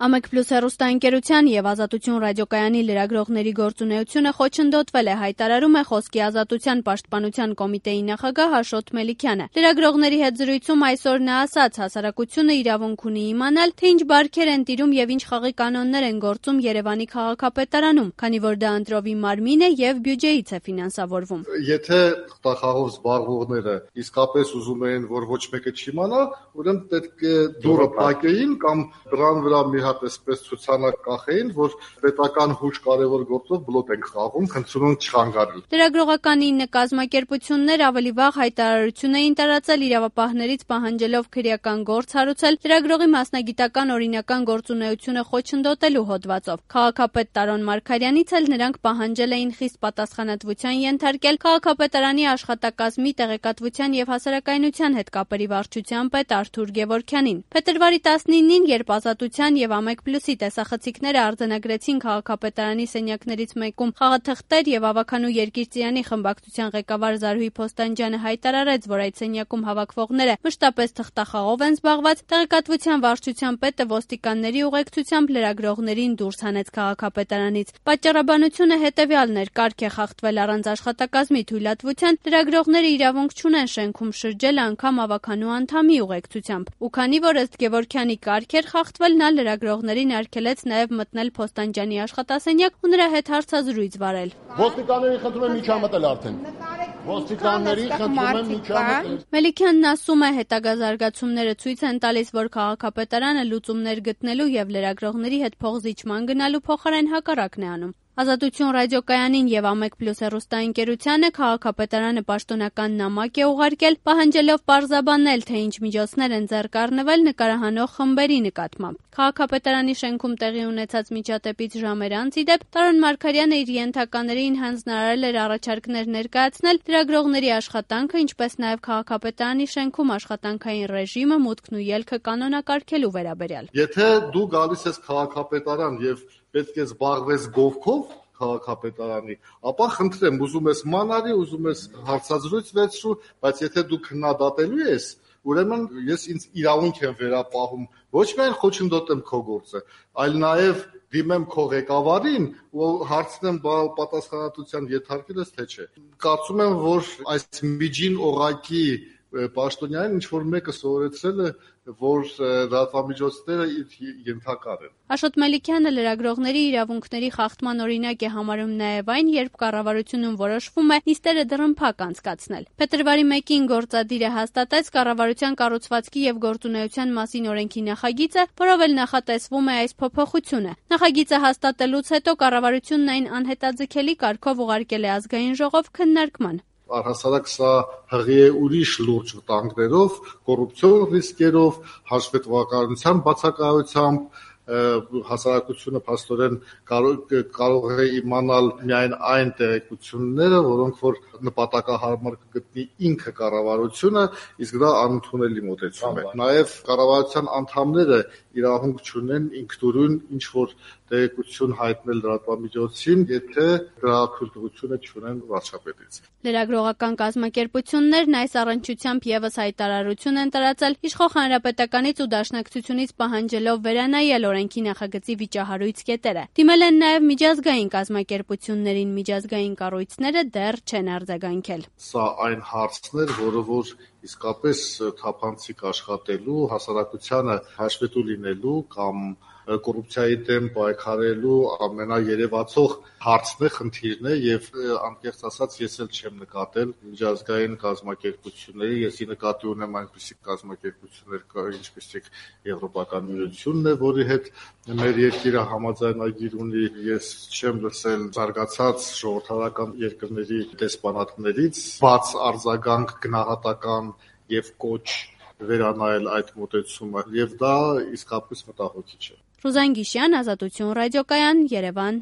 Ամեկ Պլյուս հեռուստաընկերության եւ Ազատություն ռադիոկայանի լրագրողների գործունեությունը խոչընդոտվել է, հայտարարում է Խոսքի ազատության պաշտպանության կոմիտեի նախագահ Աշոտ Մելիքյանը։ Լրագրողների հետ զրույցում այսօր նա ասաց, հասարակությունը իրավունք ունի իմանալ, թե ինչ բարքեր են տիրում եւ ինչ խաղի կանոններ են գործում Երևանի քաղաքապետարանում, քանի որ դա ընտրովի մարմին է եւ բյուջեից է ֆինանսավորվում։ Եթե խաղաղով զբաղվողները իսկապես ուզում են, որ ոչ մեկը չիմանա, ուրեմն պետք է դուրը փակեին կամ դրան վրա մի այսպես ցուցանակ կախեին, որ պետական հույժ կարևոր գործով բլոկ են խաղում, խնդրում եմ չխանգարել։ Լրագրողական 9 կազմակերպություններ ավելի վաղ հայտարարություն էին տարածել իրավապահներից պահանջելով քրեական գործ հարուցել լրագրողի մասնագիտական օրինական գործունեությունը խոչընդոտելու հոդվածով։ Քաղաքապետ Տարոն Մարգարյանից էլ նրանք պահանջել էին խիստ պատասխանատվության ենթարկել քաղաքապետարանի աշխատակազմի տեղեկատվության եւ հասարակայնության հետ կապերի վարչության պետ Արթուր Գևորգյանին։ Փետրվարի 19-ին, երբ Ազատության եւ Ամեկ Պլյուսի տեսախցիկները արձանագրեցին քաղաքապետարանի սենյակներից մեկում խաղաթղթեր եւ ավականու Երկիրծյանի խմբակցության ղեկավար Զարուհի Փոստանջյանը հայտարարեց, որ այդ սենյակում հավաքվողները մշտապես թղթախաղով են զբաղված, տեղեկատվության վարչության պետը ոստիկանների ուղեկցությամբ լրագրողներին դուրս հանեց քաղաքապետարանից։ Պատճառաբանությունը հետեւյալն էր՝ կարգ է խախտվել առանց աշխատակազմի թույլատվության, լրագրողները իրավունք չունեն շենքում շրջել անգամ ավականու անդամի ուղեկցությամբ։ Ու քանի որ ըստ Գևորգյանի կարգ էր խախտվել, նա լրագրողներին արգելեց նաև մտնել Փոստանջյանի աշխատասենյակ ու նրա հետ հարցազրույց վարել։ Ոստիկանների խնդրում եմ միջամտել արդեն։ Ոստիկանների խնդրում եմ միջամտել։ Մելիքյանն ասում է, հետագա զարգացումները ցույց են տալիս, որ քաղաքապետարանը լուծումներ գտնելու եւ լրագրողների հետ փոխզիջման գնալու փոխարեն հակառակն է անում։ Ազատություն ռադիոկայանին եւ Ամեկ Պլյուս հեռուստաընկերությանը քաղաքապետարանը պաշտոնական նամակ է ուղարկել, պահանջելով պարզաբանել, թե ինչ միջոցներ են ձեռք առնվել նկարահանող խմբերի նկատմամբ։ Քաղաքապետարանի շենքում տեղի ունեցած միջադեպից ժամեր անց, ի դեպ, Տարոն Մարգարյանը իր ենթականերին հանձնարարել էր առաջարկներ ներկայացնել լրագրողների աշխատանքը, ինչպես նաեւ քաղաքապետարանի շենքում աշխատանքային ռեժիմը, մուտքն ու ելքը կանոնակարգելու վերաբերյալ։ Եթե դու գալիս ես քաղաքապետարան եւ պետք է զբաղվես գովքով քաղաքապետարանի, ապա խնդրեմ, ուզում ես մանարի, ուզում ես հարցազրույց վերցրու, բայց եթե դու քննադատելու ես, ուրեմն ես ինձ իրավունք եմ վերապահում, ոչ միայն խոչընդոտեմ քո գործը, այլ նաև դիմեմ քո ղեկավարին ու հարցնեմ պատասխանատվության ենթարկել ես թե չէ։ Կարծում եմ, որ այս միջին օղակի պաշտոնյանին ինչ-որ մեկը սովորեցրել է, որ լրատվամիջոցները ենթակար են։ Աշոտ Մելիքյանը լրագրողների իրավունքների խախտման օրինակ է համարում նաև այն, երբ կառավարությունում որոշվում է նիստերը դռնփակ անցկացնել։ Փետրվարի 1-ին գործադիրը հաստատեց կառավարության կառուցվածքի եւ գործունեության մասին օրենքի նախագիծը, որով էլ նախատեսվում է այս փոփոխությունը։ Նախագիծը հաստատելուց հետո կառավարությունն այն անհետաձգելի կարգով ուղարկել է ազգային ժողով քննարկման։ Առհասարակ սա հղի է ուրիշ լուրջ վտանգներով, կոռուպցիոն ռիսկերով, հաշվետվականության բացակայությամբ, հասարակությունը փաստորեն կարող է իմանալ միայն այն տեղեկությունները, որոնք որ նպատակահարմար կգտնի ինքը կառավարությունը, իսկ դա անընդունելի մոտեցում է։ Նաև կառավարության անդամները իրավունք չունեն ինքնուրույն ինչ որ տեղեկություն հայտնել լրատվամիջոցին, եթե դրա թույլտվությունը չունեն վարչապետից։ Լրագրողական կազմակերպություններն այս առնչությամբ եւս հայտարարություն են տարածել իշխող հանրապետականից ու դաշնակցությունից պահանջելով վերանայել օրենքի նախագծի վիճահարույց կետերը։ Դիմել են նաև միջազգային կազմակերպություններին, միջազգային կառույցները դեռ չեն արձագանքել։ Սա այն հարցն էր, որը որ իսկապես թափանցիկ աշխատելու, հասարակությանը հաշվետու լինելու կամ կոռուպցիայի դեմ պայքարելու ամենաերևացող հարցն է, խնդիրն է եւ անկեղծ ասած ես էլ չեմ նկատել միջազգային կազմակերպությունների, եսի նկատի ունեմ այնպիսի կազմակերպություններ, ինչպիսիք Եվրոպական միությունն է, որի հետ մեր երկիրը համաձայնագիր ունի, ես չեմ լսել զարգացած ժողովրդական երկրների դեսպանատներից բաց արձագանք գնահատական եւ կոչ վերանայել այդ մոտեցումը եւ դա իսկապես մտահոգիչ է։ Ռուզան Գիշյան, Ազատություն ռադիոկայան, Երևան։